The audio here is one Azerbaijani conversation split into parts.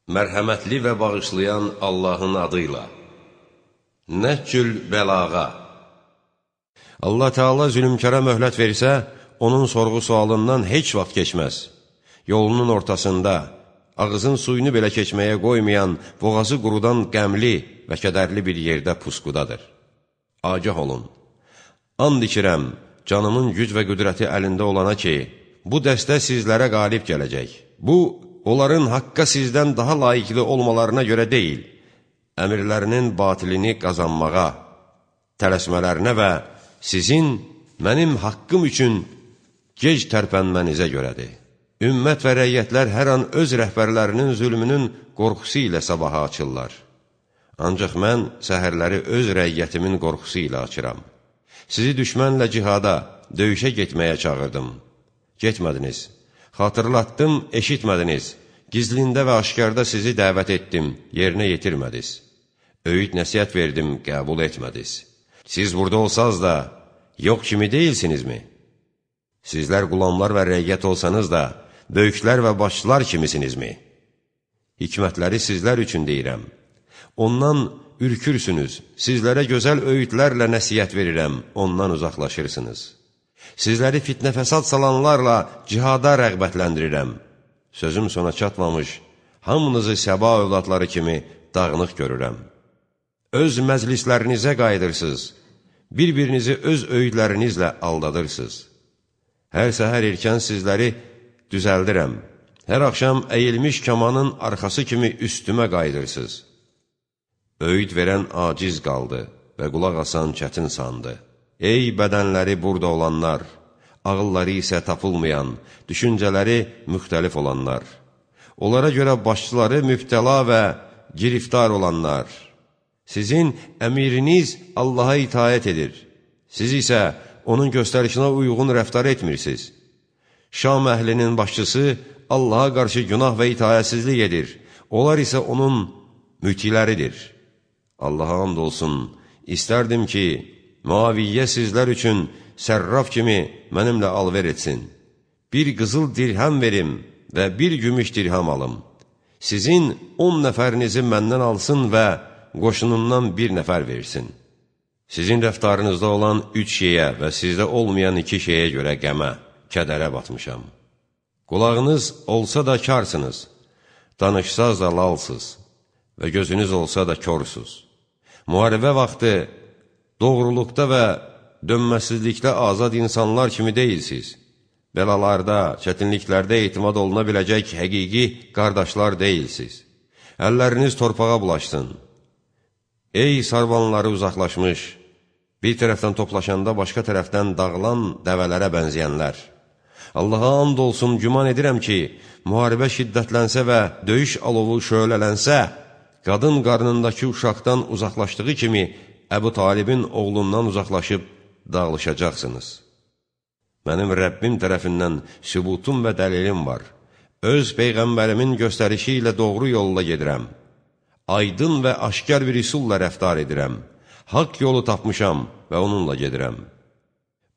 Mərhəmətli və bağışlayan Allahın adıyla. Nəhcül bəlağa. Allah Teala zülmkara möhlət versə, onun sorğu-sualından heç vaxt keçməz. Yolunun ortasında, ağzın suyunu belə keçməyə qoymayan, boğazı qurudan qəmli və kədərli bir yerdə pusqudadır. Agah olun. And içirəm, canımın güc və qüdrəti əlində olana ki, bu dəstə sizlərə qalib gələcək. Bu, onların haqqa sizdən daha layiqli olmalarına görə deyil, əmirlərinin batilini qazanmağa, tələsmələrinə və sizin mənim haqqım üçün gec tərpənmənizə görədir. Ümmət və rəyyətlər hər an öz rəhbərlərinin zülmünün qorxusu ilə sabaha açırlar. Ancaq mən səhərləri öz rəyyətimin qorxusu ilə açıram. Sizi düşmənlə cihada, döyüşə getməyə çağırdım. Getmədiniz. Xatırlatdım, eşitmədiniz. Gizlində və aşkarda sizi dəvət etdim, yerinə yetirmədiniz. Öyüd nəsihət verdim, qəbul etmədiniz. Siz burada olsanız da, yox kimi deyilsinizmi? Sizlər qulamlar və rəyyət olsanız da, böyüklər və başçılar kimisinizmi? Hikmətləri sizlər üçün deyirəm. Ondan ürkürsünüz, sizlərə gözəl öyüdlərlə nəsihət verirəm, ondan uzaqlaşırsınız. Sizləri fitnə fəsad salanlarla cihada rəğbətləndirirəm. Sözüm sona çatmamış, hamınızı Səba övladları kimi dağınıq görürəm. Öz məclislərinizə qayıdırsınız, bir-birinizi öz öyüdlərinizlə aldadırsınız. Hər səhər erkən sizləri düzəldirəm, hər axşam əyilmiş kamanın arxası kimi üstümə qayıdırsınız. Öyüd verən aciz qaldı və qulaq asan çətin sandı. Ey bədənləri burada olanlar, ağılları isə tapılmayan, düşüncələri müxtəlif olanlar. Onlara görə başçıları mübtəla və giriftar olanlar. Sizin əmiriniz Allaha itaət edir. Siz isə onun göstərişinə uyğun rəftar etmirsiniz. Şam əhlinin başçısı Allaha qarşı günah və itaətsizlik edir. Onlar isə onun mütiləridir. Allaha and olsun, istərdim ki, Muaviyyə sizlər üçün sərraf kimi mənimlə alver etsin. Bir qızıl dirhəm verim və bir gümüş dirhəm alım. Sizin 10 nəfərinizi məndən alsın və qoşunundan bir nəfər versin. Sizin rəftarınızda olan 3 şeyə və sizdə olmayan 2 şeyə görə qəmə, kədərə batmışam. Qulağınız olsa da karsınız, danışsaz da lalsız və gözünüz olsa da korsuz. Müharibə vaxtı doğruluqda və dönməsizlikdə azad insanlar kimi deyilsiz. Bəlalarda, çətinliklərdə etimad oluna biləcək həqiqi qardaşlar deyilsiz. Əlləriniz torpağa bulaşsın. Ey sarbanları uzaqlaşmış, bir tərəfdən toplaşanda başqa tərəfdən dağılan dəvələrə bənzəyənlər. Allaha and olsun, güman edirəm ki, müharibə şiddətlənsə və döyüş alovu şöhlələnsə, qadın qarnındakı uşaqdan uzaqlaşdığı kimi Əbu Talibin oğlundan uzaqlaşıb dağılışacaqsınız. Mənim Rəbbim tərəfindən sübutum və dəlilim var. Öz Peyğəmbərimin göstərişi ilə doğru yolla gedirəm. Aydın və aşkar bir üsulla rəftar edirəm. Haqq yolu tapmışam və onunla gedirəm.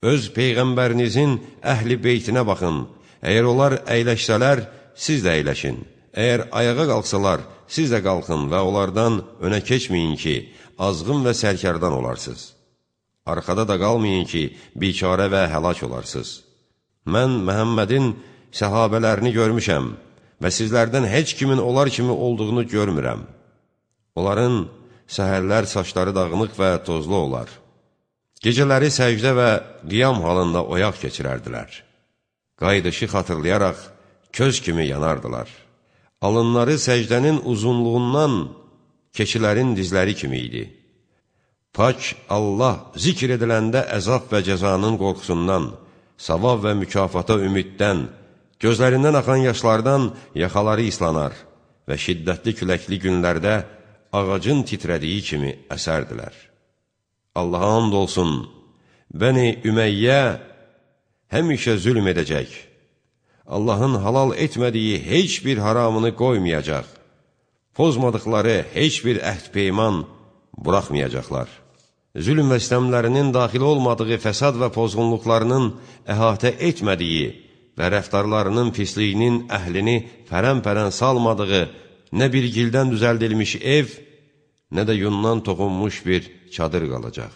Öz Peyğəmbərinizin əhli beytinə baxın. Əgər onlar əyləşsələr, siz də əyləşin. Əgər ayağa qalxsalar, siz də qalxın və onlardan önə keçməyin ki, azğın və sərkərdan olarsınız. Arxada da qalmayın ki, bikarə və həlak olarsınız. Mən Məhəmmədin səhabələrini görmüşəm və sizlərdən heç kimin onlar kimi olduğunu görmürəm. Onların səhərlər saçları dağınıq və tozlu olar. Gecələri səcdə və qiyam halında oyaq keçirərdilər. Qayıdışı xatırlayaraq köz kimi yanardılar. Alınları səcdənin uzunluğundan keçilərin dizləri kimi idi. Pak Allah zikr ediləndə əzab və cəzanın qorxusundan, savab və mükafata ümiddən, gözlərindən axan yaşlardan yaxaları islanar və şiddətli küləkli günlərdə ağacın titrədiyi kimi əsərdilər. Allaha and olsun, Bəni Ümeyyə həmişə zülm edəcək. Allahın halal etmədiyi heç bir haramını qoymayacaq. Pozmadıqları heç bir əhd-peyman buraxmayacaqlar. Zülm və istəmlərinin daxil olmadığı fəsad və pozğunluqlarının əhatə etmədiyi və rəftarlarının pisliyinin əhlini pərən-pərən salmadığı nə bir gildən düzəldilmiş ev, nə də yundan toxunmuş bir çadır qalacaq.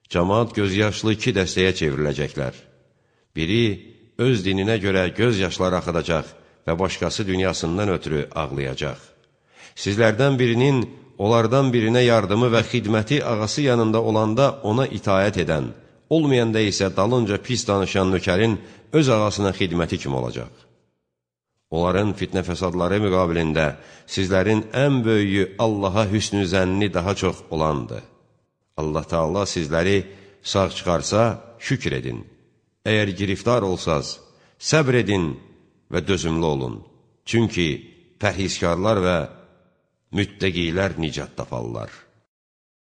Cəmaat gözyaşlı iki dəstəyə çevriləcəklər. Biri öz dininə görə göz yaşları axıdacaq və başqası dünyasından ötürü ağlayacaq. Sizlərdən birinin onlardan birinə yardımı və xidməti ağası yanında olanda ona itayət edən, olmayanda isə dalınca pis danışan nökərin öz ağasına xidməti kimi olacaq. Onların fitnə fəsadları müqabilində sizlərin ən böyüyü Allaha hüsnü zənni daha çox olandır. Allah Teala sizləri sağ çıxarsa, şükür edin. Əgər giriftar olsaz, səbr edin və dözümlü olun. Çünki pərhizkarlar və müttəqilər nicat taparlar.